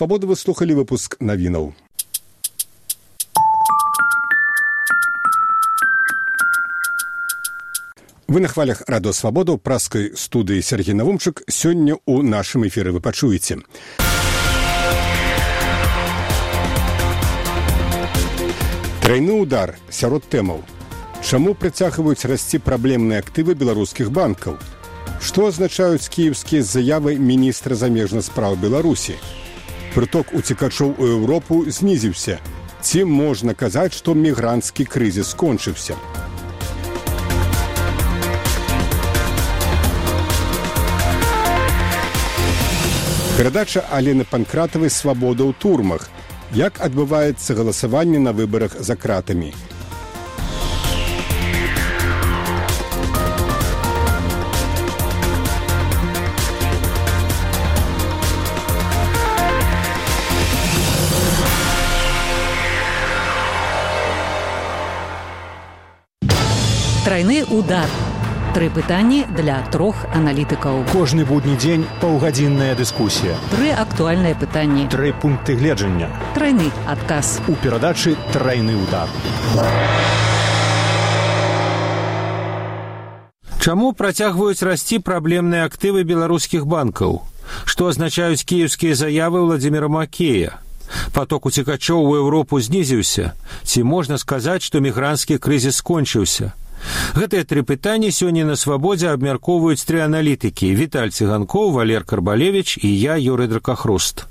Свабода, вы слухали выпуск навінаў. Вы на хвалях радио «Свобода» в праскай студыі Сергей Навумчык. Сёння у нашым эфіры вы пачуеце. Трайны удар сярод тэмаў. Чаму працягваюць расці праблемныя актывы беларускіх банкаў? Што азначаюць кіеўскія заявы міністра замежных спраў Беларусі? Прыток уцекачоў у Еўропу знізіўся. Ці можна казаць, што мігранцкі крызіс скончыўся? Перадача Алены Панкратавай «Свабода ў турмах». Як адбываецца галасаванне на выбарах за кратамі? Трайны удар. 3 пытанні для 3 аналітыкаў. Кожны будні дзень паўгадзінная дыскусія. 3 актуальныя пытанні. 3 пункты гледжання. Трайны адказ. У перадачы «Трайны удар». Чаму працягваюць расці праблемныя актывы беларускіх банкаў? Што азначаюць кіеўскія заявы Владзіміра Макея? Поток уцекачоў у Еўропу знізіўся? Ці можна сказаць, што мігранцкі крызіс скончыўся? Гэтыя 3 пытанні сёння на «Свабодзе» абмяркоўваюць 3 аналітыкі: Віталь Цыганкоў, Валер Карбалевіч і я, Юрый Дракахруст.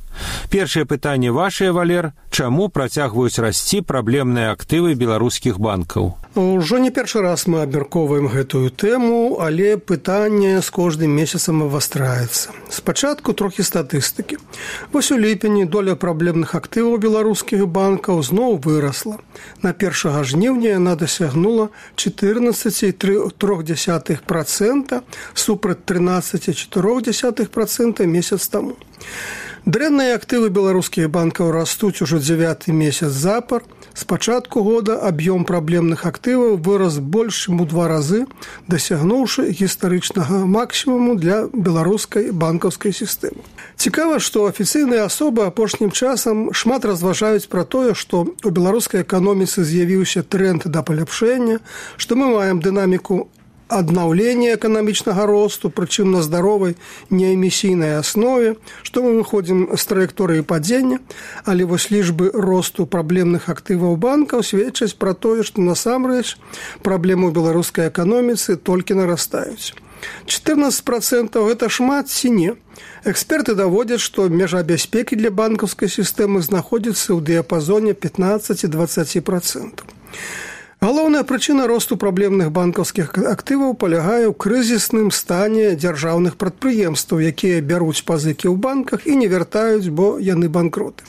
Першае пытанне вашае, Валер. Чаму працягваюць расці праблемныя актывы беларускіх банкаў? Ужо не першы раз мы абмяркоўваем гэтую тэму, але пытанне з кожным месяцам абвастраецца. Спачатку трохі статыстыкі. Вось у ліпені доля праблемных актываў беларускіх банкаў зноў вырасла. На 1 жніўня яна дасягнула 14,3% супраць 13,4% месяц таму. Дрэнныя актывы беларускіх банкаў растуць ужо 9-й месяц запар. З пачатку года аб'ём праблемных актываў вырас больш чым у 2 разы, дасягнуўшы гістарычнага максімуму для беларускай банкаўскай сістэмы. Цікава, што афіцыйныя асобы апошнім часам шмат разважаюць пра тое, што у беларускай эканоміцы з'явіўся тренд да паляпшэння, што мы маем дынаміку аднаўлення эканамічнага росту, прычым на здаровай неэмісійнай аснове, што мы выходзім з траекторыі падзення, але вось лічбы росту праблемных актываў банкаў сведчаць пра тое, што насамрэч праблемы ў беларускай эканоміцы толькі нарастаюць. 14% гэта шмат ці не? Эксперты даводзяць, што межа бяспекі для банкаўскай сістэмы знаходзіцца ў дыяпазоне 15-20%. Галоўная прычына росту праблемных банкаўскіх актываў палягае ў крызісным стане дзяржаўных прадпрыемстваў, якія бяруць пазыкі ў банках і не вяртаюць, бо яны банкроты.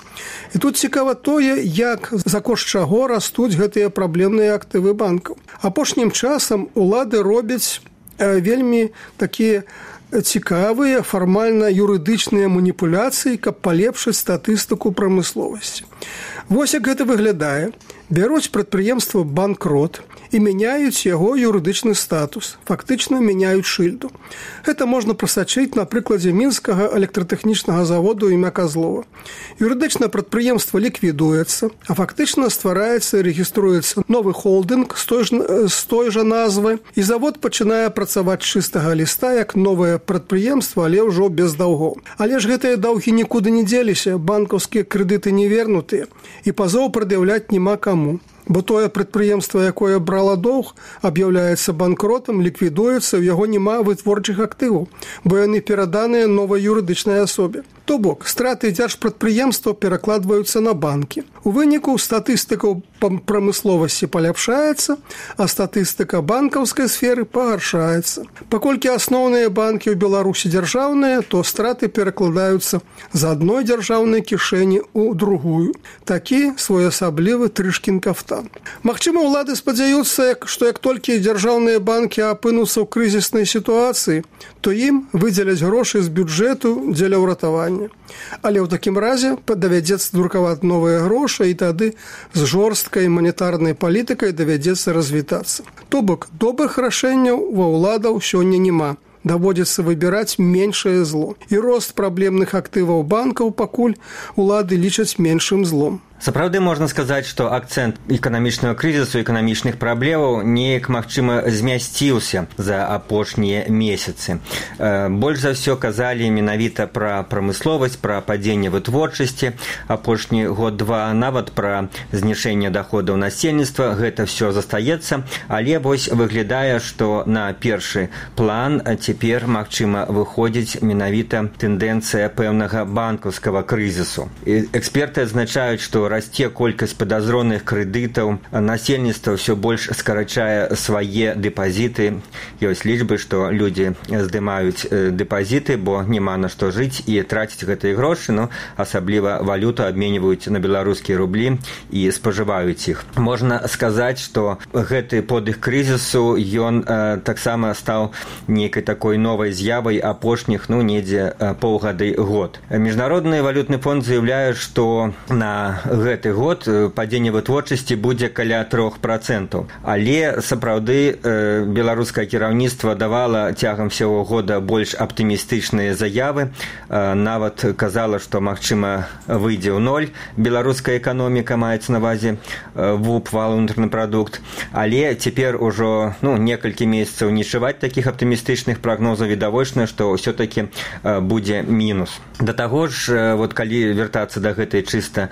І тут цікава тое, як за кошт чаго растуць гэтыя праблемныя актывы банкаў. Апошнім часам улады робяць вельмі такія цікавыя фармальна-юрыдычныя маніпуляцыі, каб палепшыць статыстыку прамысловасці. Вось як гэта выглядае. Бяруць прадпрыемства банкрот і мяняюць яго юрыдычны статус, фактычна мяняюць шыльду. Гэта можна прасачыць на прыкладзе мінскага электратэхнічнага заводу імя Казлова. Юрыдычнае прадпрыемства ліквідуецца, а фактычна ствараецца і рэгіструецца новы холдынг з той жа назвай, і завод пачынае працаваць з чыстага ліста як новае прадпрыемства, але ўжо без даўгоў. Але ж гэтыя даўгі нікуды не дзеліся, банкаўскія крэдыты не вернутыя, і пазоў прад'яўляць няма каму. Бо тое прадпрыемства, якое брала доўг, аб'яўляецца банкротам, ліквідуецца, у яго няма вытворчых актываў, бо яны пераданыя новай юрыдычнай асобе. То бок, страты дзяржпрадпрыемства перакладваюцца на банкі. У выніку статыстыка прамысловасці паляпшаецца, а статыстыка банкаўскай сферы пагаршаецца. Паколькі асноўныя банкі ў Беларусі дзяржаўныя, то страты перакладаюцца з адной дзяржаўнай кішэні ў другую. Такі своеасаблівы Трышкін кафтан. Магчыма, улады спадзяюцца, што як толькі дзяржаўныя банкі апынуцца ў крызіснай сітуацыі, то ім выдзеляць грошы з бюджэту дзеля ўратавання. Але ў такім разе давядзецца друкаваць новыя грошы, і тады з жорсткай манетарнай палітыкай давядзецца развітацца. То бок, добрых рашэнняў ва ўладаў сёння няма. даводзіцца выбіраць меншае зло. І рост праблемных актываў банкаў пакуль улады лічаць меншым злом. Сапраўды можна сказаць, што акцэнт эканамічнага крызісу, эканамічных праблемаў неяк, магчыма, змясціўся за апошнія месяцы. Больш за ўсё казалі менавіта пра прамысловасць, пра падзенне вытворчасці, апошні год-два, нават пра знішэнне даходаў насельніцтва. Гэта ўсё застаецца, але вось выглядае, што на першы план цяпер, магчыма, выходзіць менавіта тэндэнцыя пэўнага банкаўскага крызісу. Эксперты адзначаюць, што расце колькасць падазроных крэдытаў, насельніцтва ўсё больш скарачае свае дэпазіты. Ёсць лічбы, што людзі здымаюць дэпазіты, бо няма на што жыць і траціць гэтыя грошы, асабліва валюту абменьваюць на беларускія рублі і спажываюць іх. Можна сказаць, што гэты подых крызісу, ён таксама стаў нейкай такой новай з'явай апошніх, недзе паўгады год. Міжнародны валютны фонд заяўляе, што на гэты год падзенне вытворчасці будзе каля 3%. Але сапраўды беларускае кіраўніцтва давала цягам всего года больш аптымістычныя заявы. Нават казала, што, магчыма, выйдзе ў 0 беларуская эканоміка, маецца на ўвазе ВУП, валовы унутраны прадукт. Але цяпер ужо некалькі месяцаў не чуваць такіх аптымістычных прагнозаў, відавочна, што ўсё-такі будзе мінус. Да таго ж, калі вяртацца да гэтай чыста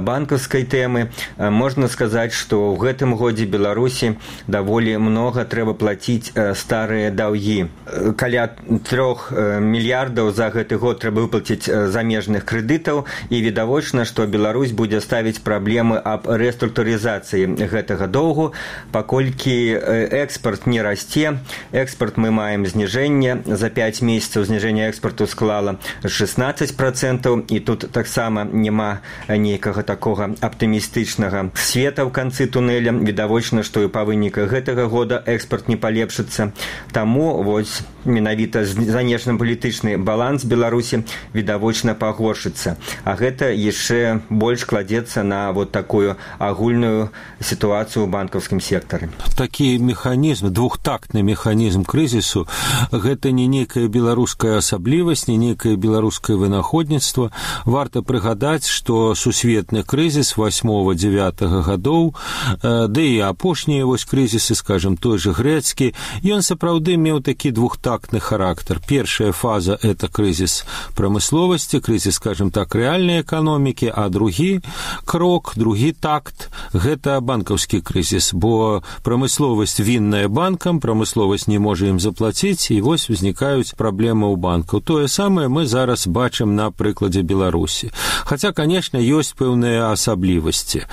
банкаўскай тэмы, можна сказаць, што ў гэтым годзе Беларусі даволі многа трэба плаціць старыя даўгі. Каля 3 мільярдаў за гэты год трэба выплаціць замежных крэдытаў, і відавочна, што Беларусь будзе ставіць праблемы аб рэструктурызацыі гэтага доўгу, паколькі экспарт не расце. Экспарт мы маем зніжэнне. За 5 месяцаў зніжэнне экспарту склала 16%, і тут таксама няма нейкага такога аптымістычнага света ў канцы тунэля. Відавочна, што і па выніках гэтага года экспарт не палепшыцца. Таму вось менавіта знешнепалітычны баланс Беларусі відавочна пагоршыцца. А гэта яшчэ больш кладзецца на такую агульную сітуацыю ў банкаўскім сектары. Такі механізм, двухтактны механізм крызісу, гэта не нейкая беларуская асаблівасць, не нейкае беларускае вынаходніцтва. Варта прыгадаць, што сусветны крызіс 8-9 гадоў, да і апошнія крызісы, скажем, той же грэцкі, ён сапраўды меў такі двухтактны характар. Першая фаза – это крызіс прамысловасці, крызіс, скажем так, рэальнай эканомікі, а другі крок, другі такт – гэта банкаўскі крызіс, бо прамысловасць вінная банкам, прамысловасць не можа ім заплаціць, і вось узнікаюць праблемы ў банкаў. Тое самае мы зараз бачым на прыкладзе Беларусі. Хаця, конечно, ёсць пэўныя асаблівасці.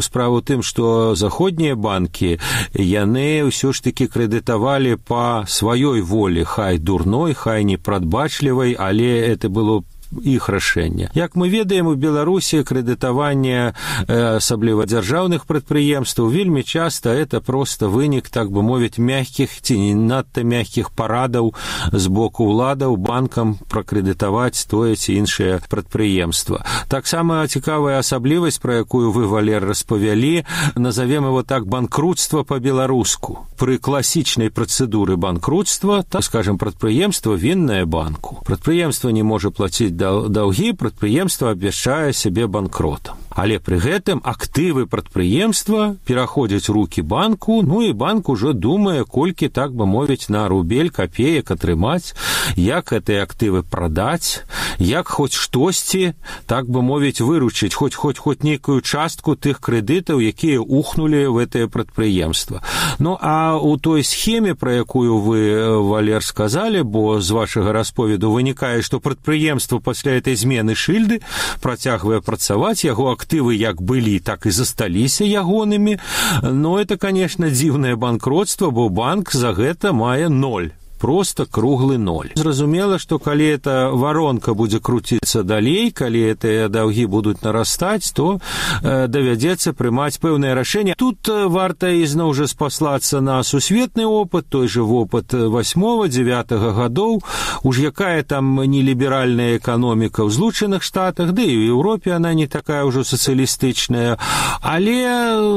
Справа ў тым, што заходнія банкі, яны ўсё ж такі крэдытавалі па сваёй волі, хай дурной, хай непрадбачлівай, але это было іх рашэнне. Як мы ведаем, у Беларусі крэдытаванне асабліва дзяржаўных прадпрыемстваў вельмі часта это проста вынік, так бы мовіць, мягкіх ці не надта мягкіх парадаў з боку ўладаў банкам пракрэдытаваць тое ці іншае прадпрыемства. Таксама цікавая асаблівасць, пра якую вы, Валер, распавялі, назовем его так, банкрутства па-беларуску. Пры класічнай працэдуры банкрутства, так скажем, прадпрыемства віннае банку. Прадпрыемства не можа плаціць даўгі, прадпрыемства абвяшчае сябе банкротам. Але пры гэтым актывы прадпрыемства пераходзяць у рукі банку, і банк ужо думае, колькі, так бы мовіць, на рубель, капеек атрымаць, як гэтыя актывы прадаць, як хоць штосьці, так бы мовіць, выручыць, хоць нейкую частку тых крэдытаў, якія ухнулі в гэтае прадпрыемства. А у той схеме, пра якую вы, Валер, сказалі, бо з вашага расповеду вынікае, што прадпрыемства пасля этой змены шыльды працягвае працаваць, яго актывы як былі, так і засталіся ягонымі. Это, конечно, дзіўнае банкротство, бо банк за гэта мае 0. Просто круглый 0. Зразумела, што калі эта воронка будзе круціцца далей, калі гэтыя даўгі будуць нарастаць, то давядзецца прымаць пэўнае рашэнне. Тут варта ізноў жа спаслацца на сусветны опыт, той же опыт 8-9 гадоў, уж якая там неліберальная эканоміка ў Злучаных Штатах, да і ў Еўропе она не такая ўжо сацыялістычная, але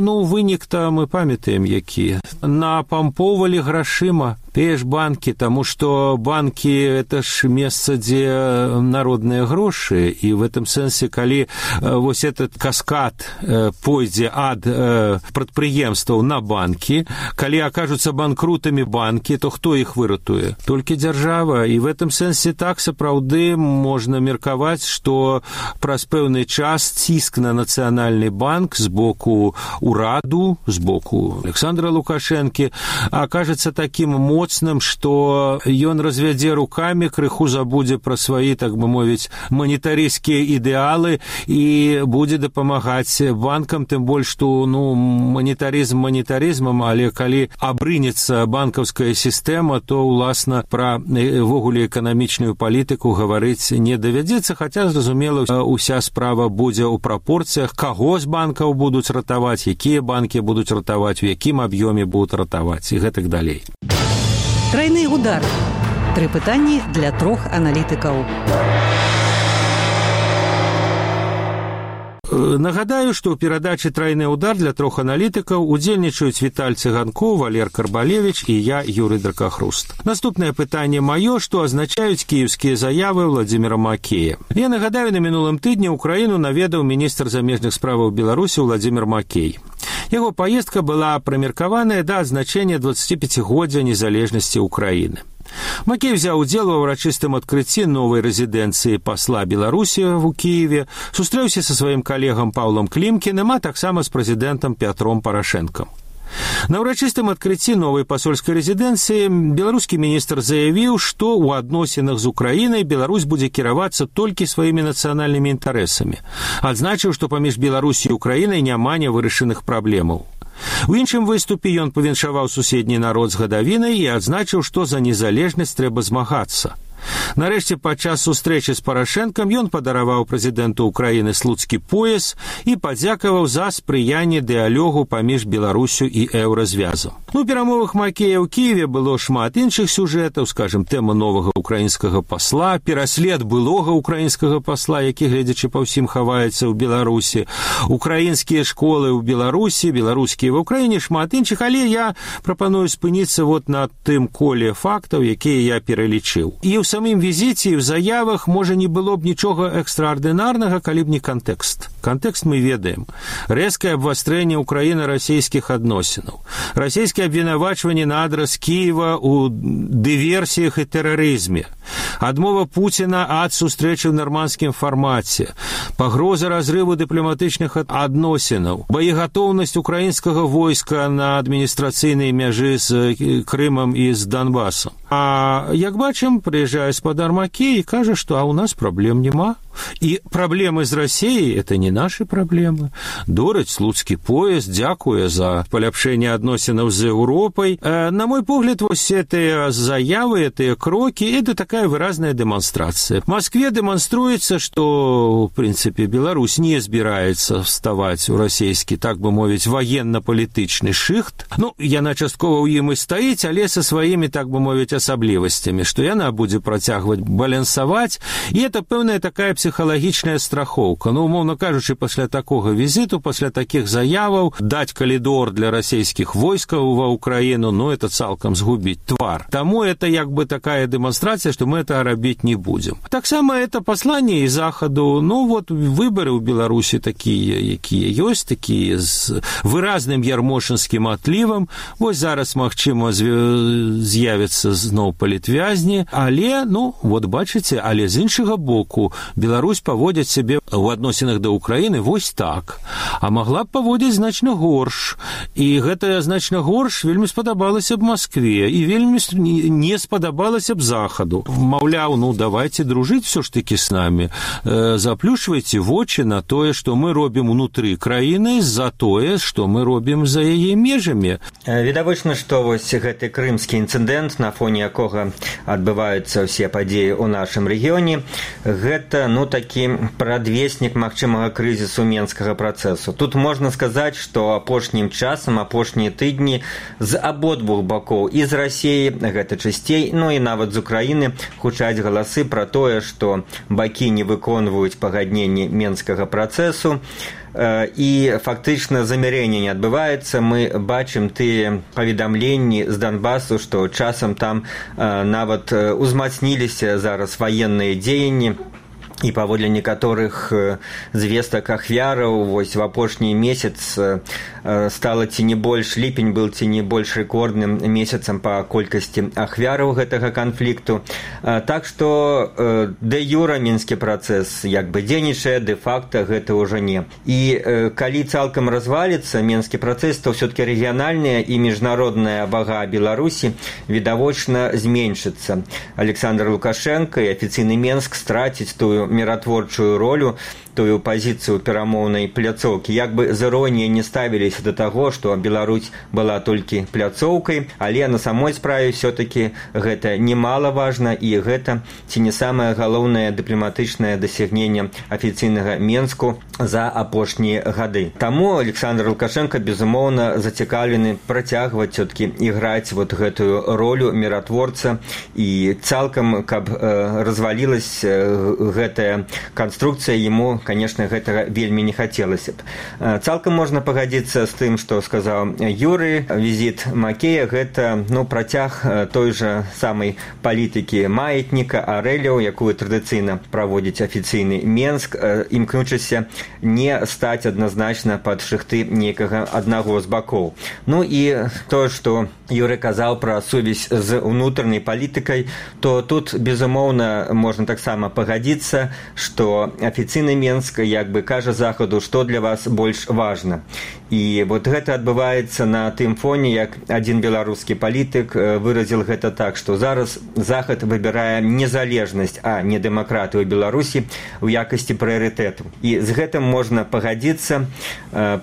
вынік-то мы памятаем які. Напампоўвалі грашыма, тыя ж банкі банкі, таму што банкі это ж месца, дзе народныя грошы, і в этом сэнсе, калі вось этот каскад пойдзе ад прадпрыемстваў на банкі, калі акажуцца банкрутамі банкі, то хто іх выратуе? Толькі дзяржава. І в этом сэнсе так сапраўды можна меркаваць, што праз пэўны час ціск на нацыянальны банк з боку ураду, з боку Александра Лукашэнкі акажацца такім моцным, што ён развядзе рукамі, крыху забудзе пра свае, так бы мовіць, манетарыйскія ідэалы і будзе дапамагаць банкам, тым больш, што манетарызм манетарызмам, але калі абрынецца банкаўская сістэма, то, уласна, пра ввогуле эканамічную палітыку гаварыць не давядзецца, хаця, зразумела, уся справа будзе ў прапорцыях, каго з банкаў будуць ратаваць, якія банкі будуць ратаваць, у якім аб'ёме будуць ратаваць і гэтак далей. Трайны удар. 3 пытанні для 3 аналітыкаў. Нагадаю, што ў перадачы «Трайны удар» для 3 аналітыкаў удзельнічаюць Віталь Цыганкоў, Валер Карбалевіч і я, Юрый Дракахруст. Наступнае пытанне маё, што азначаюць кіеўскія заявы Владзіміра Макея. Я нагадаю, на мінулым тыдні ўкраіну наведаў міністр замежных справаў Беларусі Владзімір Макей. Яго паездка была прымеркаваная да адзначэння 25-годдзя незалежнасці Украіны. Макей взяў удзел ва ўрачыстым адкрыцці новай рэзідэнцыі пасла Беларусі ў Кіеве, сустрэўся са сваім калегам Паўлам Клімкіным, а таксама з прэзідэнтам Пятром Парашэнкам. На ўрачыстым адкрыцці новай пасольскай рэзідэнцыі беларускі міністр заявіў, што ў адносінах з Украінай Беларусь будзе кіравацца толькі сваімі нацыянальнымі інтарэсамі. Адзначыў, што паміж Беларусі і Украінай няма нявырашаных праблемаў. У іншым выступе ён павіншаваў суседні народ з гадавінай і адзначыў, што за незалежнасць трэба змагацца. Нарэшце, падчас сустрэчы з Парашэнкам ён падараваў прэзідэнту Украіны слуцкі пояс і падзякаваў за спрыянне дыялогу паміж Беларусю і еўразвязам. У перамовах Макея ў Кіеве было шмат іншых сюжэтаў, скажем, тэма новага украінскага пасла, пераслед былога украінскага пасла, які, гледзячы па ўсім, хаваецца ў Беларусі, украінскія школы ў Беларусі, беларускія ва Ўкраіне, шмат іншых, але я прапаную спыніцца вот на тым коле фактаў, якія я пералічыў. І ў самым візіце і ў заявах можа не было б нічога экстраардынарнага, калі б не кантэкст. Кантэкст мы ведаем. Рэзкае абвастрэнне ўкраіна-расійскіх адносінаў. Расійскае абвінавачванне на адрас Кіева ў дыверсіях і тэрарызме. Адмова Пуціна ад сустрэчы ў нармандскім фармаце. Пагроза разрыву дыпламатычных адносінаў. Боегатоўнасць украінскага войска на адміністрацыйнай мяжы з Крымам і з Донбасам. А як бачым, прыязджае спадар Макей і кажа, што а ў нас праблем няма. І праблемы з Расіяй – это не наши праблемы. Дораць слуцкі пояс, дзякуе за паляпшэнне адносінаў з Еўропай. На мой погляд, вось гэтыя заявы, гэтыя крокі – это такая выразная дэманстрацыя. В Москве дэманструецца, што, в прынцыпе, Беларусь не збіраецца вставаць у расійскі, так бы мовіць, военно-палітычны шыхт. Ну, яна часткова ў ім і стаіць, але са сваімі, так бы мовіць, асаблівасцямі, што яна будзе працягваць балансаваць, і это пэўная такая псіхалагічная страхоўка. Ну, умоўна кажучы, пасля такога візіту, пасля такіх заяваў, даць калідор для расійскіх войскаў ва Ўкраіну, ну, это цалкам згубіць твар. Таму это як бы такая дэманстрацыя, што мы это рабіць не будзем. Таксама это пасланне і Захаду, ну, вот выбары ў Беларусі такія, якія ёсць, такія з выразным ярмошынскім атлівам. Вось зараз, магчыма, з'явяцца зноў палітвязні, але, ну, вот бачыце, але з іншага боку, Беларусь паводзіць сябе ў адносінах да Ўкраіны вось так, а магла б паводзіць значна горш. І гэта значна горш вельмі спадабалася б Москве і вельмі не спадабалася б Захаду. Маўляў, ну, давайте дружыць все ж таки с нами, заплюшвайце вочы на тое, што мы робім унутры краіны, за тое, што мы робім за яе межамі. Відавочна, што вось гэты крымскі інцыдэнт, на фоне якога адбываюцца ўсе падзеі ў нашым рэгіёне, гэта, ну, такі прадвеснік магчымага крызісу менскага працэсу. Тут можна сказаць, што апошнім часам, апошнія тыдні з абодвух бакоў і з Расіі, гэта часцей, ну і нават з Украіны гучаць галасы пра тое, што бакі не выконваюць пагадненні менскага працэсу, і фактычна замірэнне не адбываецца. Мы бачым тыя паведамленні з Донбасу, што часам там нават узмацніліся зараз ваенныя дзеянні, і паводле некаторых звестак ахвяраў вось в апошні месяц стала ці не больш, ліпень быў ці не больш рэкордным месяцам па колькасці ахвяраў гэтага канфлікту. Так што дэ-юра мінскі працэс як бы дзейнічае, дэ-факта гэта ўжо не. І калі цалкам разваліцца мінскі працэс, то ўсё-такі рэгіянальная і міжнародная вага Беларусі відавочна зменшыцца. Александр Лукашенко і афіцыйны Менск страціць тую міратворчую ролю, тую пазіцыю перамоўнай пляцоўкі. Як бы з іроніяй не ставіліся да таго, што Беларусь была толькі пляцоўкай, але на самой справе ўсё-такі гэта немалаважна, і гэта ці не самае галоўнае дыпламатычнае дасягненне афіцыйнага Менску за апошнія гады. Таму Александр Лукашенко, безумоўна, зацікаўлены працягваць все-таки іграць вот гэтую ролю міратворца, і цалкам, каб развалілась гэтая канструкцыя, яму, конечно, гэтага вельмі не хацелася б. Цалкам можна пагадзіцца з тым, што сказаў Юры. Візіт Макея – гэта працяг той жа самай палітыкі маятніка Арэляў, якую традыцыйна праводзіць афіцыйны Менск, імкнучыся не стаць адназначна пад шыхты нейкага аднаго з бакоў. Ну і тое, што Юры казаў пра сувязь з унутранай палітыкай, то тут, безумоўна, можна таксама пагадзіцца, што афіцыйны Менск як бы кажа Захаду, што для вас больш важна. І вот гэта адбываецца на тым фоне, як адзін беларускі палітык выразіў гэта так, што зараз Захад выбірае незалежнасць, а не дэмакратыю Беларусі ў якасці прыярытэту. І з гэтым можна пагадзіцца,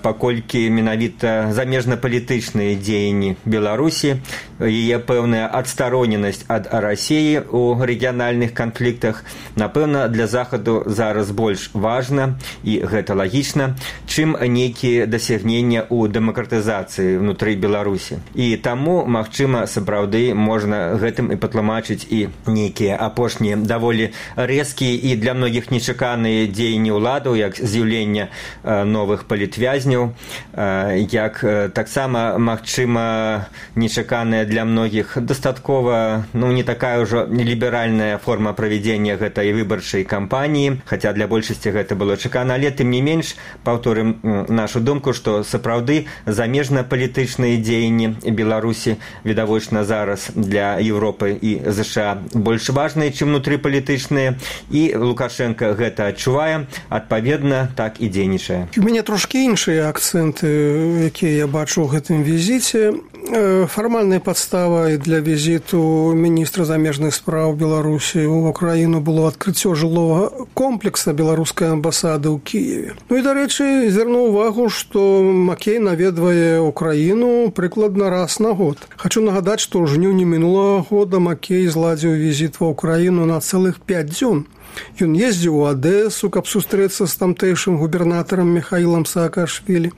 паколькі менавіта замежнапалітычныя дзеянні Беларусі, яе пэўная адстароненасць ад Расіі ў рэгіянальных канфліктах, напэўна, для Захаду зараз больш важна, і гэта лагічна, чым нейкія дасягнення ў дэмакратызацыі ўнутры Беларусі. І таму, магчыма, сапраўды можна гэтым і патлумачыць і нейкія апошнія даволі рэзкія і для многіх нечаканыя дзеянні ўладаў, як з'яўленне новых палітвязняў, як таксама, магчыма, нечаканая для многіх дастаткова, не такая ўжо ліберальная форма правядзення гэтай выбарчай кампаніі, хаця для большасці гэта было чакана, але тым не менш, паўторым нашу думку, што сапраўды замежна-палітычныя дзеянні Беларусі відавочна зараз для Еўропы і ЗША больш важныя, чым унутрыпалітычныя, і Лукашенко гэта адчувае, адпаведна, так і дзейнічае. У мяне трошкі іншыя акцэнты, якія я бачу ў гэтым візіце. Фармальнай падставай для візіту міністра замежных спраў Беларусі ў Украіну было адкрыццё жылога комплекса беларускай амбасады ў Кіеве. Ну і, дарэчы, звярнуў увагу, што Макей наведвае Украіну прыкладна раз на год. Хачу нагадаць, што ў жніўні мінулага года Макей зладзіў візіт ва Украіну на цэлых 5 дзён. Ён ездзіў у Адэсу, каб сустрэцца з тамтэйшым губернатарам Михаілам Саакашвілі.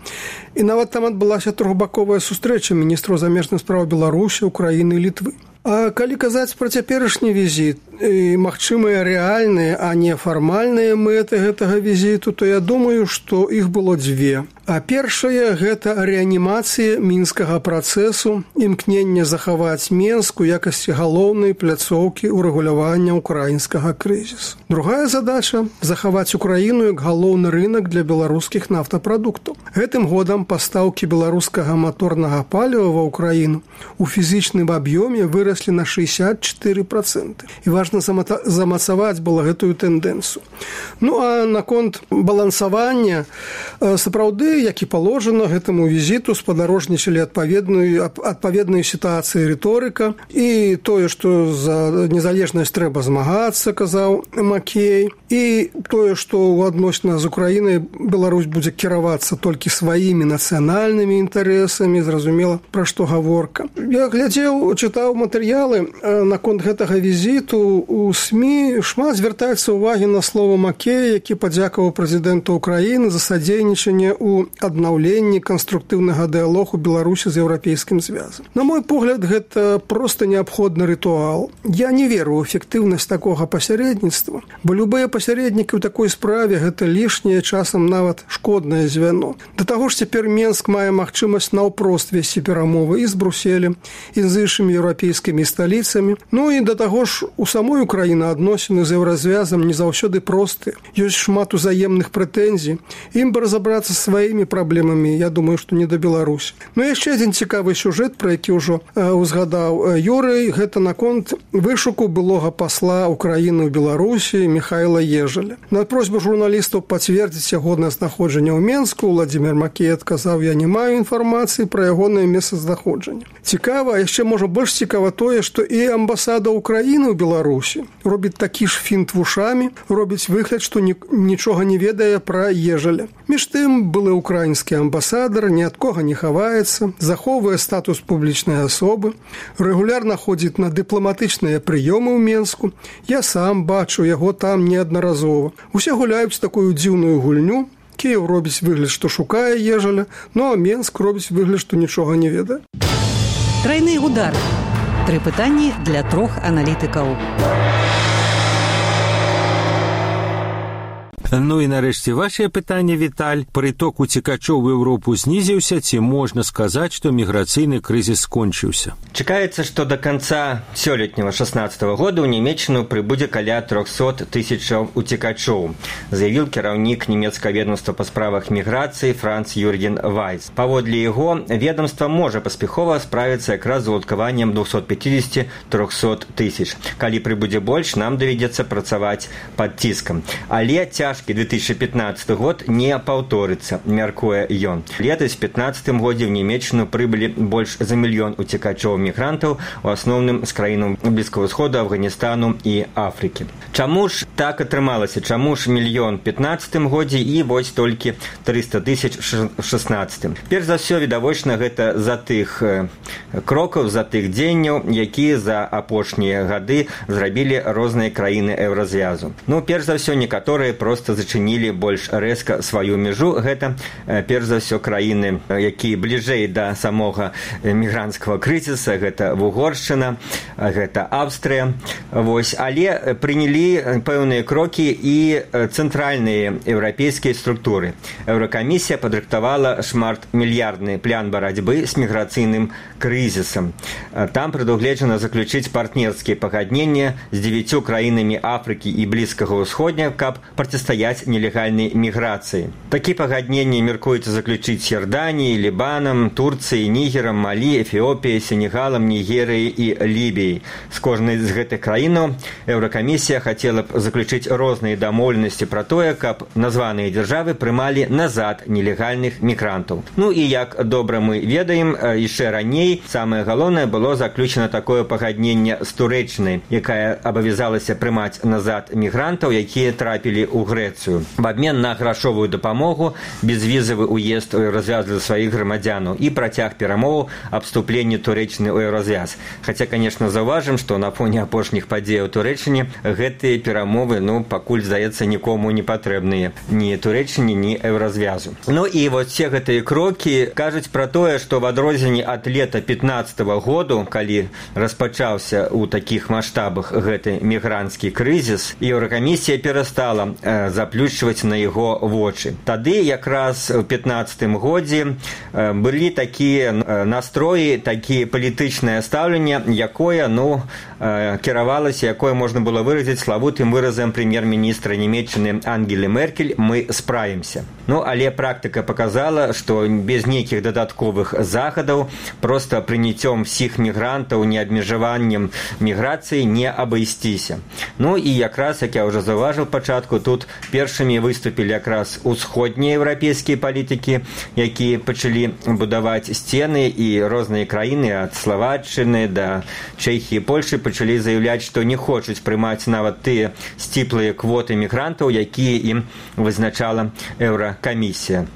І нават там адбылася трохбаковая сустрэча міністраў замежных спраў Беларусі, Украіны і Літвы. А калі казаць пра цяперашні візіт і магчымыя рэальныя, а не фармальныя мэты гэтага візіту, то я думаю, што іх было дзве. А першая – гэта рэанімацыя мінскага працэсу, імкненне захаваць Менск у якасці галоўнай пляцоўкі ўрэгулявання ўкраінскага крызісу. Другая задача – захаваць Украіну як галоўны рынак для беларускіх нафтапрадуктаў. Гэтым годам пастаўкі беларускага маторнага паліва ва Украіну у фізічным аб'ёме выраслі на 64%. І важна замацаваць было гэтую тэндэнцыю. Ну, а наконт балансавання, сапраўды, як і паложана, гэтаму візіту спадарожнічалі адпаведнай сітуацыі рыторыка. І тое, што за незалежнасць трэба змагацца, казаў Макей. І тое, што ў адносінах з Украінай Беларусь будзе кіравацца толькі сваімі нацыянальнымі інтарэсамі, зразумела, пра што гаворка. Я глядзеў, чытаў матэрыялы наконт гэтага візіту у СМІ шмат звяртаецца ўвагі на слова Макея, які падзякаваў прэзідэнту Украіны за садзейнічанне ў аднаўленні канструктыўнага дыялогу Беларусі з Еўрапейскім звязам. На мой погляд, гэта проста неабходны рытуал. Я не веру ў эфектыўнасць такога пасярэдніцтва, бо любыя пасярэднікі ў такой справе гэта лішняе, часам нават шкоднае звяно. Да таго ж цяпер Менск мае магчымасць наўпрост весці перамовы і з Брюсселем, і з іншымі еўрапейскімі сталіцамі. Ну і да таго ж у самой Украіны адносіны з еўразвязам не заўсёды простыя. Ёсць шмат узаемных прэтэнзій. Ім бы разабрацца з сваімі праблемамі, я думаю, што не да Беларусі. Ну і яшчэ адзін цікавы сюжэт, про які ўжо узгадаў Юрый, гэта наконт вышуку былога пасла Украіны ў Беларусі Михайла Ежаля. На просьбу журналістаў пацвердзіць ягонае знаходжанне ў Менску Владзімір Макей адказаў: я не маю інфармацыі пра ягонае месцазнаходжанне. Цікава, а яшчэ можа больш цікава тое, што і амбасада Украіны ў Беларусі робіць такі ж фінт вушамі, робіць выгляд, што нічога не ведае пра Ежаля. Між тым, былы украінскі амбасадар ні ад кога не хаваецца, захоўвае статус публічнай асобы, рэгулярна ходзіць на дыпламатычныя прыёмы ў Менску. Я сам бачу яго там неаднаразова. Усе гуляюць такую дзіўную гульню. Кіеў робіць выгляд, што шукае Ежаля, ну а Менск робіць выгляд, што нічога не ведае. Трайны удар. 3 пытанні для 3 аналітыкаў. Ну і нарэшце вашае пытанне, Віталь. Прыток уцекачоў в Еўропу знізіўся, ці можна сказаць, што міграцыйны крызіс скончыўся? Чакаецца, што да канца сёлетняга 16-го года ў Нямецчыну прыбудзе каля 300 тысячаў уцекачоў, заявіў кіраўнік нямецкага ведомства па справах міграцыі Франц Юрген Вайс. Паводле яго, ведомства можа паспяхова справіцца якраз з уладкаваннем 250-300 тысяч. Калі прыбудзе больш, нам давядзецца працаваць пад ціскам. Але цяжкі 2015 год не паўторыцца, мяркуе ён. Летась в 2015 годзе в Нямецчыну прыбылі больш за 1 мільён уцекачоў-мігрантаў, у асноўным з краінаў Блізкага ўсходу, Афганістану і Афрыкі. Чаму ж так атрымалася? Чаму ж 1 мільён в 2015 годзе і вось толькі 300 тысяч в 2016? Перш за ўсё, відавочна, гэта за тых крокаў, за тых дзеянняў, якія за апошнія гады зрабілі розныя краіны еўразвязу. Ну, перш за ўсё, некаторыя проста зачынілі больш рэзка сваю мяжу. Гэта, перш за ўсё, краіны, якія бліжэй да самога мігранцкага крызіса. Гэта Угоршчына, гэта Австрыя. Вось. Але прынялі пэўныя крокі і цэнтральныя еўрапейскія структуры. Еўракамісія падрыхтавала шматмільярдны план барацьбы з міграцыйным крызісам. Там прадугледжана заключыць партнерскія пагадненні з 9 краінамі Афрыкі і Блізкага ўсходня, каб противостоять нелегальной миграции. Такие погоднения меркуется заключить с Иорданией, Либаном, Турцией, Нигером, Мали, Эфиопией, Сенегалом, Нигерией и Либией. С каждой из этих краин Еврокомиссия хотела заключить разные домовленности про то, как названные державы прымали назад нелегальных мигрантов. Ну и как добра мы ведаем, еще ранее самое главное было заключено такое погоднение с Туреччиной, якая обовязалась прымаць назад мигрантов, якія трапілі ў Грэцыю. В обмен на грашовую дапамогу, безвізавы уезд у Еўразвяз для сваіх грамадзянаў і працяг перамоваў аб вступленні Турэччыны ў Еўразвяз. Хаця, конечно, заўважым, што на фоне апошніх падзеяў у Турэччыне гэтыя перамовы, пакуль, здаецца, нікому не патрэбныя. Ні Турэччыне, ні Еўразвязу. Ну і вот все гэтыя крокі кажуць пра тое, што в адрозненні ад лета 15-го году, калі распачаўся ў такіх маштабах гэты мігранцкі крызіс, Еўракамісія перастала заплюшчваць на яго вочы. Тады якраз у 15-м годзе былі такія настроі, такія палітычнае стаўленне, якое, кіравалася, якое можна было выразіць славутым выразам прэм'ер-міністра Нямецчыны Ангелы Меркель: мы справімся. Але практыка показала, што без нейкіх дадатковых захадаў, проста прыняццём всіх мігрантаў, неабмежаваннем міграцыі не абысціся. І якраз, як я ўжо заўважыў пачатку, тут першымі выступілі якраз усходнія еўрапейскія палітыкі, якія пачалі будаваць сцены, і розныя краіны ад Славаччыны да Чэхіі, Польшы пачалі заявляць, што не хочуць прымаць нават тыя сціплыя квоты мігрантаў, якія ім вызначала Еўракамісія.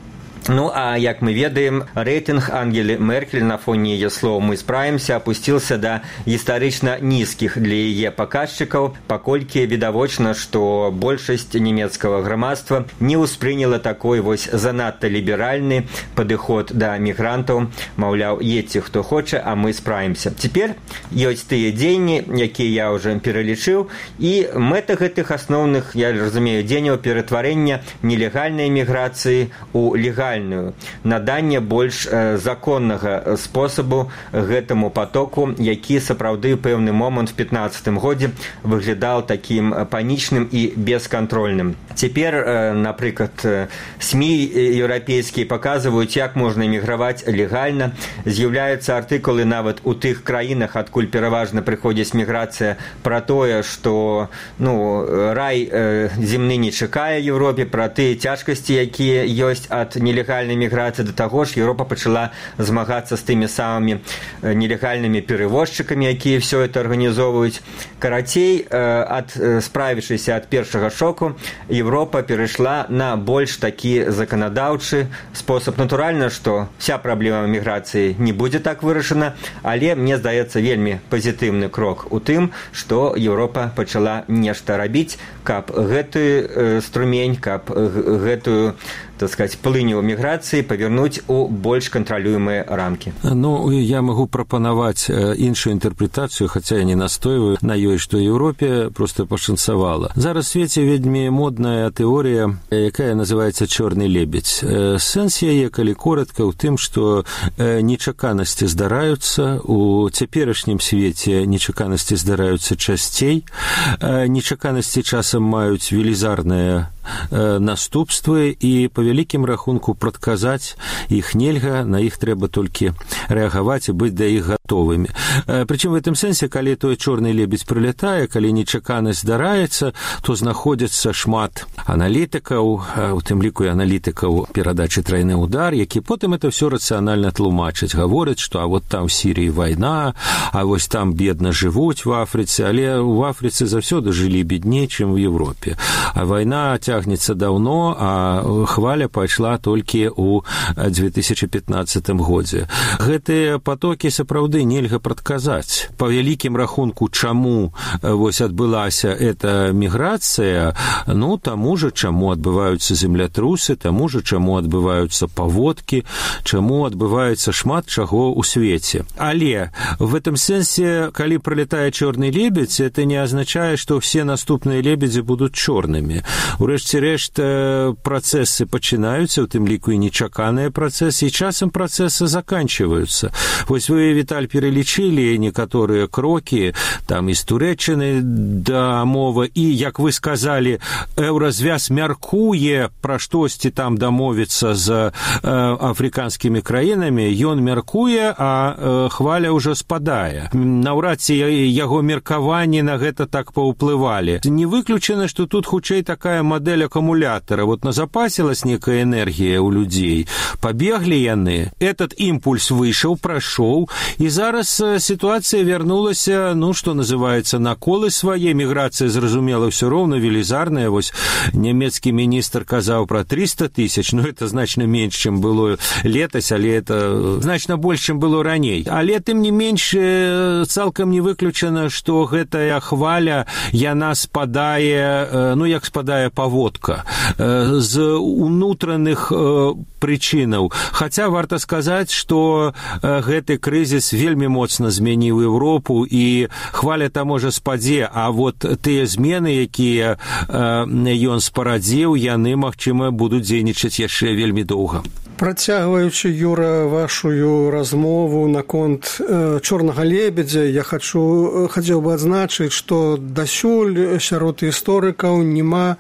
Ну, а як мы ведаем, рэйтынг Ангелы Меркель на фоне яе слоў «мы справімся» опусціўся да гістарычна нізкіх для яе паказчыкаў, паколькі відавочна, што большасць нямецкага грамадства не ўспрыняла такой вось занадта ліберальны падыход да мігрантаў, маўляў, едьце хто хоча, а мы справімся. Цяпер ёсць тыя дзеянні, якія я ўжо пералічыў, і мэта гэтых асноўных, я разумею, дзеянняў ператварэння нелегальнай міграцыі у легальную, наданне больш законнага спосабу гэтаму потоку, які сапраўды пэўны момант в 15-м годзе выглядаў такім панічным і бескантрольным. Цяпер, напрыклад, СМІ еўрапейскія паказваюць, як можна эміграваць легальна. З'яўляюцца артыкулы нават у тых краінах, адкуль пераважна прыходзіць міграцыя, пра тое, што рай земны не чакае Еўропе, пра тыя цяжкасці, якія ёсць ад нелегальнай міграцыі. Да таго ж Еўропа пачала змагацца з тымі самымі нелегальнымі перевозчыкамі, якія ўсё это арганізоўваюць. Карацей, справіўшыся ад першага шоку, Еўропа перайшла на больш такі заканадаўчы спосаб. Натуральна, што вся праблема міграцыі не будзе так вырашана, але мне здаецца вельмі пазітыўны крок у тым, што Еўропа пачала нешта рабіць, каб гэты струмень, каб гэтую, так сказать, плыню міграцыі павярнуць у больш кантралюемыя рамкі. Ну, я магу прапанаваць іншую інтэрпрэтацыю, хаця я не настойваю на ёй, што Еўропе проста пашанцавала. Зараз у свеце вельмі модная тэорія, якая называецца «чорны лебедзь». Сэнс яе, калі коратка, у тым, што нечаканасці здараюцца, у цяперашнім свеце нечаканасці здараюцца часцей, нечаканасці часам маюць велізарныя наступствы, і па вялікім рахунку прадказаць іх нельга, на іх трэба толькі рэагаваць і быць да іх гатовымі. Прычым в гэтым сэнсе, калі той чорны лебедзь прылятае, калі нечаканасць здараецца, то знаходзіцца шмат аналітыкаў, у тым ліку і аналітыкаў перадачы «Трайны удар», які потым это ўсё рацыянальна тлумачаць, гавораць, што а вот там в Сірыі вайна, а вось там бедна жывуць в Афрыцы, але ў Афрыцы заўсёды жылі бедней, чым в Европе. А вайна цягнецца даўно, а хваля пайшла толькі ў 2015 годзе. Гэтыя потокі сапраўды нельга прадказаць. Па вялікім рахунку, чаму вось адбылася эта міграцыя, ну, таму же, чаму адбываюцца землятрусы, таму же, чаму адбываюцца паводкі, чаму адбываецца шмат чаго ў свеце. Але в этом сэнсе, калі пролетае чорны лебедзь, это не азначае, што все наступныя лебедзі будуць чорнымі. Урэшце рэшт, працэсы пачынаюцца, у тым ліку і нечаканыя працэсы, і часам працэсы заканчиваюцца. Вось вы, Віталь, пералічылі некаторыя крокі, там і з Турэччыны да мова, і, як вы сказалі, Еўразвяз мяркуе пра штосьці там дамовіцца з афрыканскімі краінамі, ён мяркуе, а хваля ўжо спадае. Наўрад ці яго меркаванні на гэта так паўплывалі. Не выключана, што тут хутчэй такая мадэль акумулятора. Вот назапасілась некая энергія ў людзей, пабеглі яны, этот імпульс выйшаў, прайшоў, і зараз сітуацыя вярнулася, ну, што называецца, на колы свае. Міграцыя, зразумела, ўсё роўна велізарная. Вось нямецкі міністр казаў пра 300 тысяч, ну, это значна менш, чым было летась, але это значна больш, чым было раней. Але, тым не менш, цалкам не выключана, што гэтая хваля, яна спадае, ну, як спадае паводка, з унутраных прычынаў. Хаця варта сказаць, што гэты крызіс вельмі моцна змяніў Еўропу, і хваля там можа спадзе, а вот тыя змены, якія ён спарадзіў, яны, магчыма, будуць дзейнічаць яшчэ вельмі доўга. Працягваючы, Юра, вашу размову наконт чорнага лебедзя, я хацеў бы адзначыць, што дасюль сярод гісторыкаў няма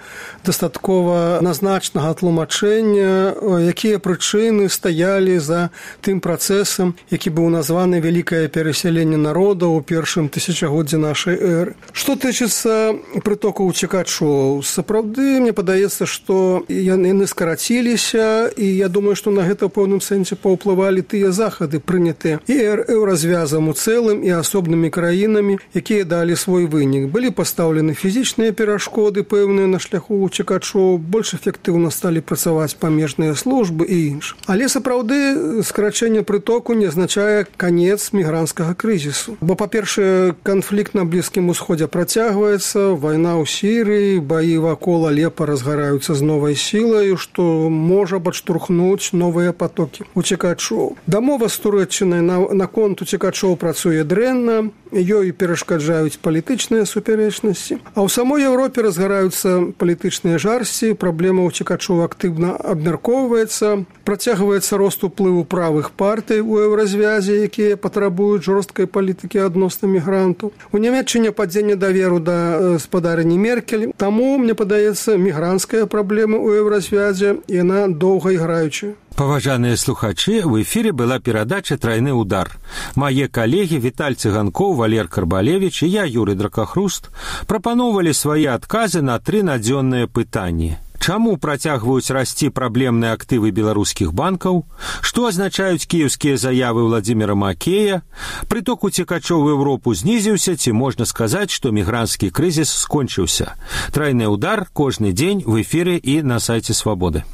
дастаткова назначнага тлумачэння, якія прычыны стаялі за тым працэсам, які быў названы «Вялікае перасяленне народа» ў першым тысячагоддзі нашай эры. Што тычыцца прытоку уцекачоў, сапраўды, мне падаецца, што яны скараціліся, і я думаю, што што на гэта ў пэўным сэнсе паўплывалі тыя захады, прынятыя і еўразвязам у цэлым і асобнымі краінамі, якія далі свой вынік. Былі пастаўлены фізічныя перашкоды пэўныя на шляху уцекачоў, больш эфектыўна сталі працаваць памежныя службы і інш. Але сапраўды скарачэнне прытоку не азначае канец мігранцкага крызісу. Бо, па-першае, канфлікт на Блізкім Усходзе працягваецца, вайна ў Сірыі, баі вакол Алепа разгараюцца з новай сілаю, што можа падштурхнуць новыя патокі уцекачоў. Дамова з Турэччынай наконт уцекачоў працуе дрэнна, ёй перашкаджаюць палітычныя супярэчнасці. А ў самой Еўропе разгараюцца палітычныя жарсці, праблема уцекачоў актыўна абмяркоўваецца, працягваецца рост уплыву правых партый у еўразвязе, якія патрабуюць жорсткай палітыкі адносна мігрантаў. У Нямецчыне падзенне даверу да спадарыні Меркель. Таму, мне падаецца, мігранцкая праблема ў еўразвязе, яна доўга іграючая. Паважаныя слухачы, в эфире была перадача «Тройны удар». Мае калегі Віталь Цыганкоў, Валер Карбалевіч і я, Юрый Дракахруст, прапаноўвалі свае адказы на 3 надзённыя пытанні. Чаму працягваюць расці праблемныя актывы беларускіх банкаў? Што азначаюць кіеўскія заявы Владзіміра Макея? Прыток уцекачоў у Еўропу знізіўся, ці можна сказаць, што мігранцкі крызіс скончыўся? «Тройны удар» кожны дзень в эфире і на сайце Свабоды.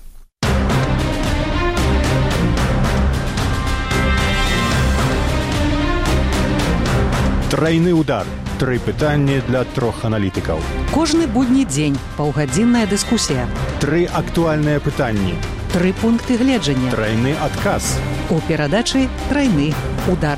Тройны удар. 3 пытанні для 3 аналітыкаў. Кожны будні дзень паўгадзінная дыскусія. 3 актуальныя пытанні. 3 пункты гледжання. Тройны адказ. У перадачы «Тройны удар».